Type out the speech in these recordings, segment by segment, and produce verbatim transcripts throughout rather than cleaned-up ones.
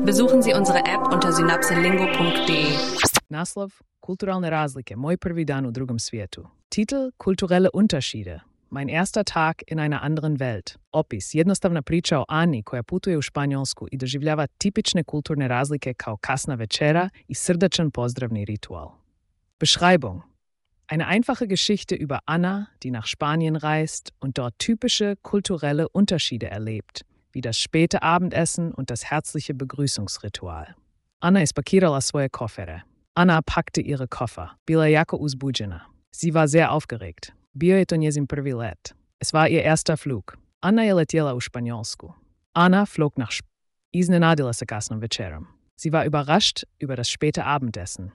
Besuchen Sie unsere App unter synapselingo punkt de. Naslov Kulturalne razlike, moj prvi dan u drugom svijetu. Titel Kulturelle Unterschiede. Mein erster Tag in einer anderen Welt. Opis, jednostavna priča o Ani koja putuje u Španjolsku i doživljava tipične kulturne razlike kao kasna večera i srdačan pozdravni ritual. Beschreibung. Eine einfache Geschichte über Anna, die nach Spanien reist und dort typische kulturelle Unterschiede erlebt, wie das späte Abendessen und das herzliche Begrüßungsritual. Anna ispakirala svoje kofere. Anna packte ihre Koffer. Bila jako uzbuđena. Sie war sehr aufgeregt. Bio je to njezin prvi let. Es war ihr erster Flug. Anna je letjela u Španjolsku. Anna flog nach Sp... Iznenadila se kasnom večerom. Sie war überrascht über das späte Abendessen.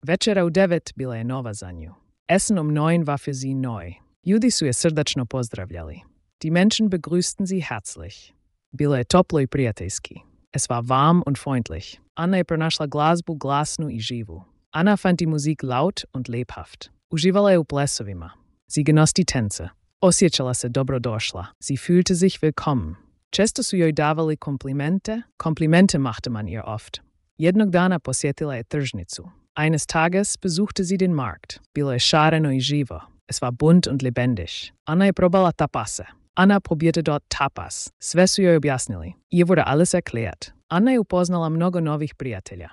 Večera u devet bila je nova za nju. Essen um neun war für sie neu. Ljudi su je srdačno pozdravljali. Die Menschen begrüßten sie herzlich. Bilo je toplo i prijateljski. Es war warm und freundlich. Anna je pronašla glazbu glasnu i živu. Anna fand die Musik laut und lebhaft. Uživala je u plesovima. Sie genoss die Tänze. Osjećala se dobrodošla. Sie fühlte sich willkommen. Često su joj davali komplimente. Komplimente machte man ihr oft. Jednog dana posjetila je tržnicu. Eines Tages besuchte sie den Markt. Bilo je šareno i živo. Es war bunt und lebendig. Anna je probala tapase. Anna probierte dort tapas. Sve su joj objasnili. Ihr wurde alles erklärt. Anna je upoznala mnogo novih prijatelja.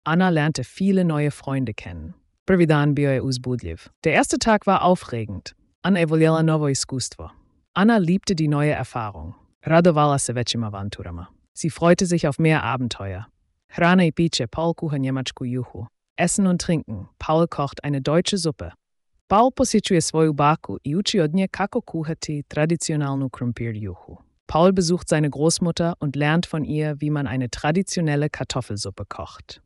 Anna lernte viele neue Freunde kennen. Prvi dan bio je uzbudljiv. Der erste Tag war aufregend. Anna je voljela novo iskustvo. Anna liebte die neue Erfahrung. Radovala se većim avanturama. Sie freute sich auf mehr Abenteuer. Hrana i piće, Paul kuha njemačku juhu. Essen und trinken, Paul kocht eine deutsche Suppe. Paul posjećuje svoju baku i uči od nje kako kuhati tradicionalnu krumpir juhu. Paul besucht seine Großmutter und lernt von ihr, wie man eine traditionelle Kartoffelsuppe kocht.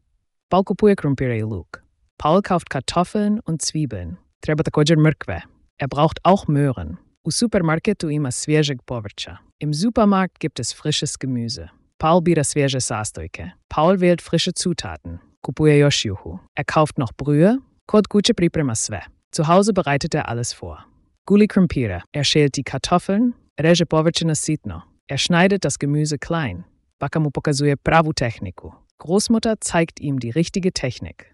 Paul kupuje krumpire i luk. Paul kauft Kartoffeln und Zwiebeln. Treba također mrkve. Er braucht auch Möhren. U supermarketu ima svježeg povrća. Im Supermarkt gibt es frisches Gemüse. Paul bira svježe sastojke. Paul wählt frische Zutaten. Kupuje još juhu. Er kauft noch Brühe. Kod kuće priprema sve. Zu Hause bereitet er alles vor. Guli krumpire. Er schält die Kartoffeln. Reže povrće na sitno. Er schneidet das Gemüse klein. Baka mu pokazuje pravu tehniku. Großmutter zeigt ihm die richtige Technik.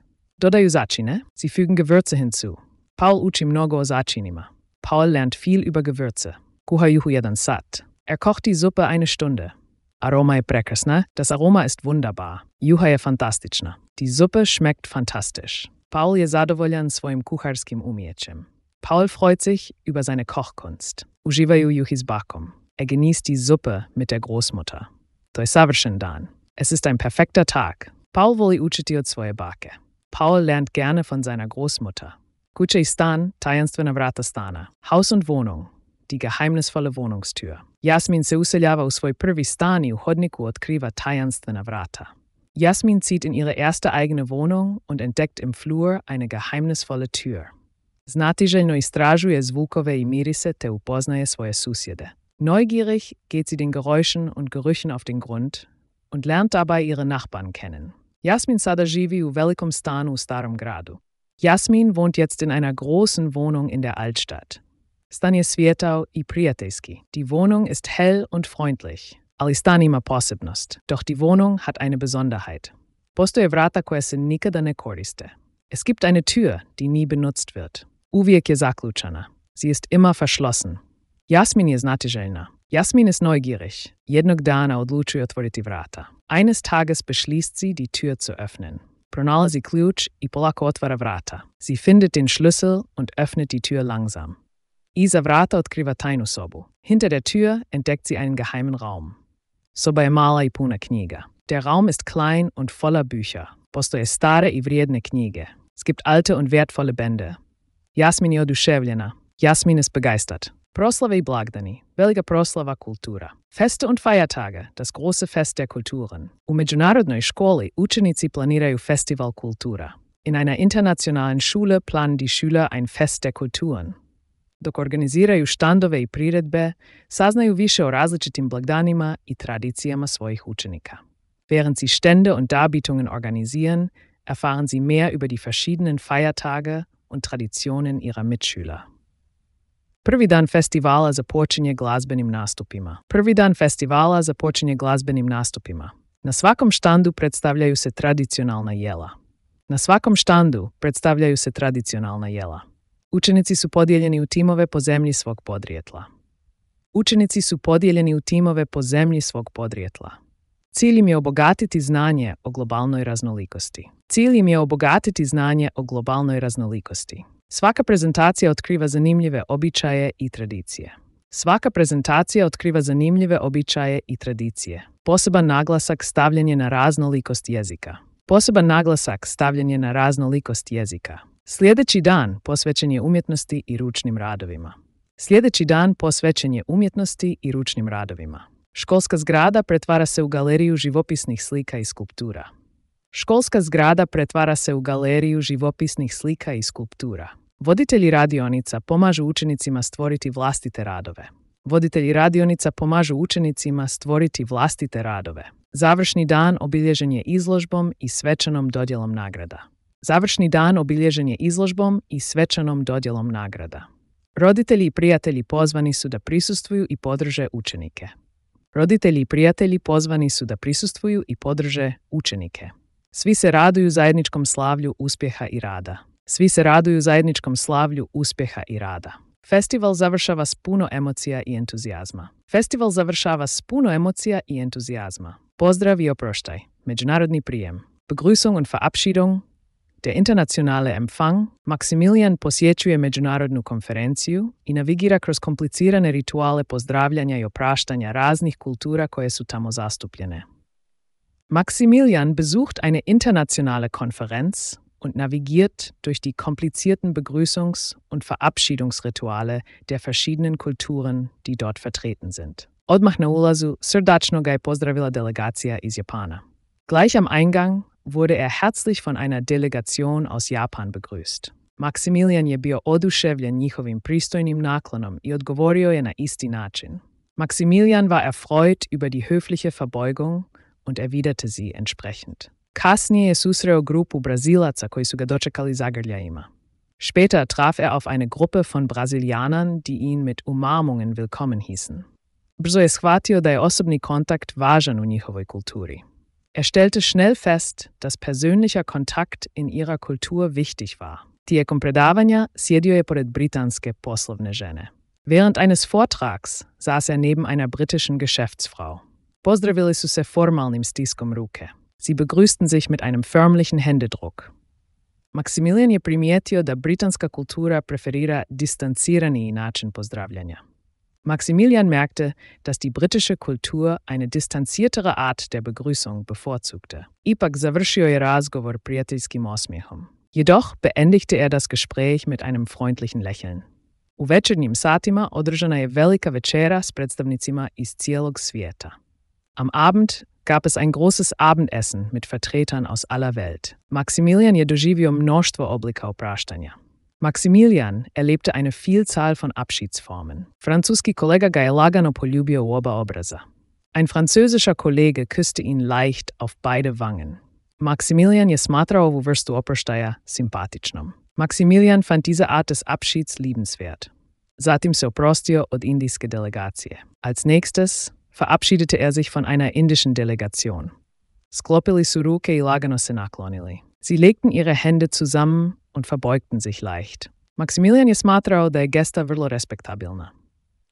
Dodaju začine. Sie fügen Gewürze hinzu. Paul uči mnogo o začinima. Paul lernt viel über Gewürze. Kuha juhu jedan sat. Er kocht die Suppe eine Stunde. Aroma je prekrasna. Das Aroma ist wunderbar. Juha je fantastična. Die Suppe schmeckt fantastisch. Paul je zadovoljan svojim kuharskim umjećem. Paul freut sich über seine Kochkunst. Uživaju juhi s bakom. Er genießt die Suppe mit der Großmutter. To je savršen dan. Es ist ein perfekter Tag. Paul voli učiti od svoje bake. Paul lernt gerne von seiner Großmutter. Kuća i stan, tajanstvena vrata stana. Haus und Wohnung, die geheimnisvolle Wohnungstür. Jasmin se useljava u svoj prvi stan i u hodniku otkriva tajanstvena vrata. Jasmin zieht in ihre erste eigene Wohnung und entdeckt im Flur eine geheimnisvolle Tür. Znatiželjno istražuje zvukove i mirise te upoznaje svoje susjede. Neugierig geht sie den Geräuschen und Gerüchen auf den Grund und lernt dabei ihre Nachbarn kennen. Jasmin sada živi u velikom stanu u starom gradu. Jasmin wohnt jetzt in einer großen Wohnung in der Altstadt. Stan je svijetao i prijateljski. Die Wohnung ist hell und freundlich. Ali stan ima posebnost. Doch die Wohnung hat eine Besonderheit. Postoje vrata koja se nikada ne koriste. Es gibt eine Tür, die nie benutzt wird. Uvijek je zaključana. Sie ist immer verschlossen. Jasmin je znatiželjna. Jasmin ist neugierig. Jednog dana odlučuje otvoriti vrata. Eines Tages beschließt sie, die Tür zu öffnen. Pronalazi ključ i polako otvara vrata. Sie findet den Schlüssel und öffnet die Tür langsam. Iza vrata otkriva tajnu sobu. Hinter der Tür entdeckt sie einen geheimen Raum. Soba je mala i puna knjiga. Der Raum ist klein und voller Bücher. Postoje stare i vrijedne knjige. Es gibt alte und wertvolle Bände. Jasmin je oduševljena. Jasmin ist begeistert. Proslave i blagdani. Velika proslava kultura. Feste und Feiertage, das große Fest der Kulturen. U međunarodnoj školi učenici planiraju Festival kultura. In einer internationalen Schule planen die Schüler ein Fest der Kulturen. Dok organiziraju štandove i priredbe, saznaju više o različitim blagdanima i tradicijama svojih učenika. Während sie Stände und Darbietungen organisieren, erfahren sie mehr über die verschiedenen Feiertage und Traditionen ihrer Mitschüler. Prvi dan festivala započinje glazbenim nastupima. Prvi dan festivala započinje glazbenim nastupima. Na svakom štandu predstavljaju se tradicionalna jela. Na svakom štandu predstavljaju se tradicionalna jela. Učenici su podijeljeni u timove po zemlji svog podrijetla. Učenici su podijeljeni u timove po zemlji svog podrijetla. Cilj im je obogatiti znanje o globalnoj raznolikosti. Cilj im je obogatiti znanje o globalnoj raznolikosti. Svaka prezentacija otkriva zanimljive običaje i tradicije. Svaka prezentacija otkriva zanimljive običaje i tradicije. Poseban naglasak stavljen je na raznolikost jezika. Poseban naglasak stavljen je na raznolikost jezika. Sljedeći dan posvećen je umjetnosti i ručnim radovima. Sljedeći dan posvećen je umjetnosti i ručnim radovima. Školska zgrada pretvara se u galeriju živopisnih slika i skulptura. Školska zgrada pretvara se u galeriju živopisnih slika i skulptura. Voditelji radionica pomažu učenicima stvoriti vlastite radove. Voditelji radionica pomažu učenicima stvoriti vlastite radove. Završni dan obilježen je izložbom i svečanom dodjelom nagrada. Završni dan obilježen je izložbom i svečanom dodjelom nagrada. Roditelji i prijatelji pozvani su da prisustvuju i podrže učenike. Roditelji i prijatelji pozvani su da prisustvuju i podrže učenike. Svi se raduju zajedničkom slavlju uspjeha i rada. Svi se raduju zajedničkom slavlju uspjeha i rada. Festival završava s puno emocija i entuzijazma. Festival završava s puno emocija i entuzijazma. Pozdrav i oproštaj. Međunarodni prijem. Begrüßung und Verabschiedung. Der internationale Empfang. Maximilian posjećuje međunarodnu konferenciju i navigira kroz komplicirane rituale pozdravljanja i opraštanja raznih kultura koje su tamo zastupljene. Maximilian besucht eine internationale Konferenz und navigiert durch die komplizierten Begrüßungs- und Verabschiedungsrituale der verschiedenen Kulturen, die dort vertreten sind. Odmah na ulazu srdačno ga je pozdravila delegacija iz Japana. Gleich am Eingang wurde er herzlich von einer Delegation aus Japan begrüßt. Maximilian je bio oduševljen njihovim pristojnim naklonom i odgovorio je na isti način. Maximilian war erfreut über die höfliche Verbeugung und erwiderte sie entsprechend. Kasnije je susreo grupu Brazilaca koji su ga dočekali zagrljajima. Später traf er auf eine Gruppe von Brasilianern, die ihn mit Umarmungen willkommen hießen. Brzo je shvatio da je osobni kontakt važan u njihovoj kulturi. Er stellte schnell fest, dass persönlicher Kontakt in ihrer Kultur wichtig war. Tijekom predavanja sjedio je pored britanske poslovne žene. Während eines Vortrags saß er neben einer britischen Geschäftsfrau. Pozdravili su se formalnim stiskom ruke. Sie begrüßten sich mit einem förmlichen Händedruck. Maximilian je primijetio da britanska kultura preferira distanziraniji način pozdravljanja. Maximilian merkte, dass die britische Kultur eine distanziertere Art der Begrüßung bevorzugte. Ipak završio je razgovor prijateljskim osmijehom. Jedoch beendigte er das Gespräch mit einem freundlichen Lächeln. U večernjim satima održana je velika večera s predstavnicima iz cijelog svijeta. Am Abend gab es ein großes Abendessen mit Vertretern aus aller Welt. Maximilian je doživio mnoštvo oblika opraštanja. Maximilian erlebte eine Vielzahl von Abschiedsformen. Francuski kolega ga je lagano poljubio u oba obraza. Ein französischer Kollege küsste ihn leicht auf beide Wangen. Maximilian je smatrao ovu vrstu oproštaja simpatičnom. Maximilian fand diese Art des Abschieds liebenswert. Zatim se oprostio od indijske delegacije. Als nächstes verabschiedete er sich von einer indischen Delegation. Sklopili su ruke i lagano se naklonili. Sie legten ihre Hände zusammen und verbeugten sich leicht. Maximilian je smatrao da je gesta vrlo respektabilna.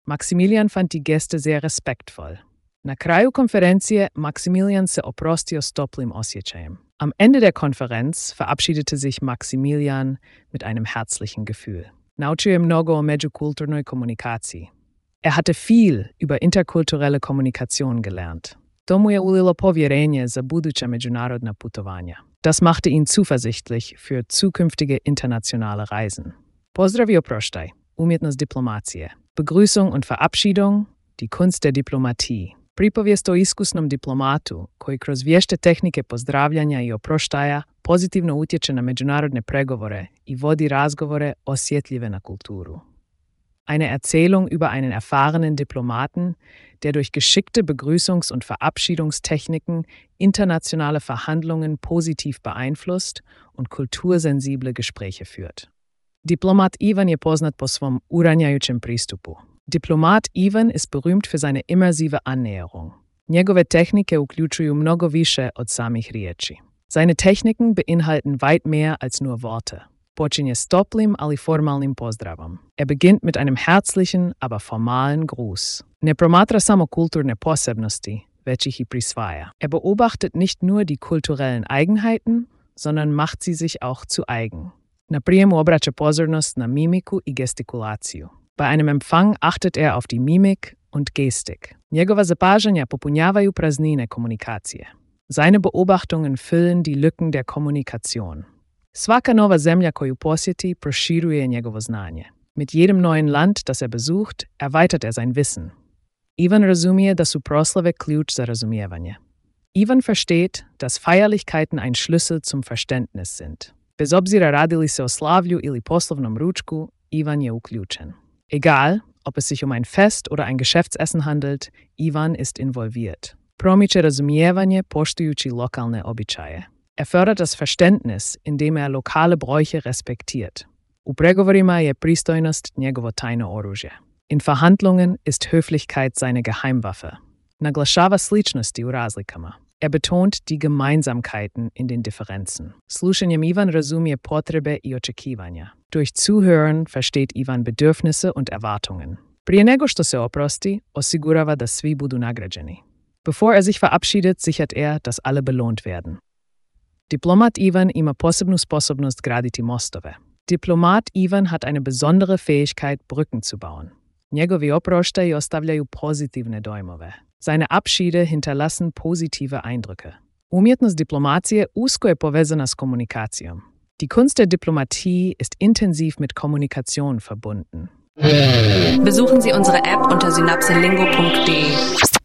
Maximilian fand die Geste sehr respektvoll. Na kraju konferencije Maximilian se oprostio s toplim osjećajem. Am Ende der Konferenz verabschiedete sich Maximilian mit einem herzlichen Gefühl. Naučio je mnogo o međukulturnoj komunikaciji. Er hatte viel über interkulturelle Kommunikation gelernt. To mu je ulilo povjerenje za buduća međunarodna putovanja. Das machte ihn zuversichtlich für zukünftige internationale Reisen. Pozdrav i oproštaj, umjetnost diplomacije. Begrüßung und Verabschiedung, die Kunst der Diplomatie. Pripovijest o iskusnom diplomatu koji kroz vješte tehnike pozdravljanja i oproštaja pozitivno utječe na međunarodne pregovore i vodi razgovore osjetljive na kulturu. Eine Erzählung über einen erfahrenen Diplomaten, der durch geschickte Begrüßungs- und Verabschiedungstechniken internationale Verhandlungen positiv beeinflusst und kultursensible Gespräche führt. Diplomat Ivan je poznat po svom uranjajućem pristupu. Diplomat Ivan ist berühmt für seine immersive Annäherung. Njegove tehnike uključuju mnogo više od samih riječi. Seine Techniken beinhalten weit mehr als nur Worte. Počinje s toplim, ali formalnim pozdravom. Er beginnt mit einem herzlichen, aber formalen Gruß. Ne promatra samo kulturne posebnosti, već ih i prisvaja. Er beobachtet nicht nur die kulturellen Eigenheiten, sondern macht sie sich auch zu eigen. Na prijemu obraća pozornost na mimiku i gestikulaciju. Bei einem Empfang achtet er auf die Mimik und Gestik. Njegova zapažanja popunjavaju praznine komunikacije. Seine Beobachtungen füllen die Lücken der Kommunikation. Svaka nova zemlja koju posjeti proširuje njegovo znanje. Mit jedem neuen Land, das er besucht, erweitert er sein Wissen. Ivan razumije da su proslave ključ za razumijevanje. Ivan versteht, dass Feierlichkeiten ein Schlüssel zum Verständnis sind. Bez obzira radili se o slavlju ili poslovnom ručku, Ivan je uključen. Egal, ob es sich um ein Fest oder ein Geschäftsessen handelt, Ivan ist involviert. Promiče razumijevanje poštujući lokalne običaje. Er fördert das Verständnis, indem er lokale Bräuche respektiert. U pregovorima je pristojnost njegovo tajno oružje. In Verhandlungen ist Höflichkeit seine Geheimwaffe. Naglašava sličnosti u razlikama. Er betont die Gemeinsamkeiten in den Differenzen. Slušanjem Ivan razumije potrebe i očekivanja. Durch Zuhören versteht Ivan Bedürfnisse und Erwartungen. Prije nego što se oprosti, osigurava da svi budu nagrađeni. Bevor er sich verabschiedet, sichert er, dass alle belohnt werden. Diplomat Ivan ima posebnu sposobnost graditi mostove. Diplomat Ivan hat eine besondere Fähigkeit, Brücken zu bauen. Njegovi oproštaji ostavljaju pozitivne dojmove. Seine Abschiede hinterlassen positive Eindrücke. Umjetnost diplomacije usko je povezana s komunikacijom. Die Kunst der Diplomatie ist intensiv mit Kommunikation verbunden. Besuchen Sie unsere App unter synapselingo punkt de.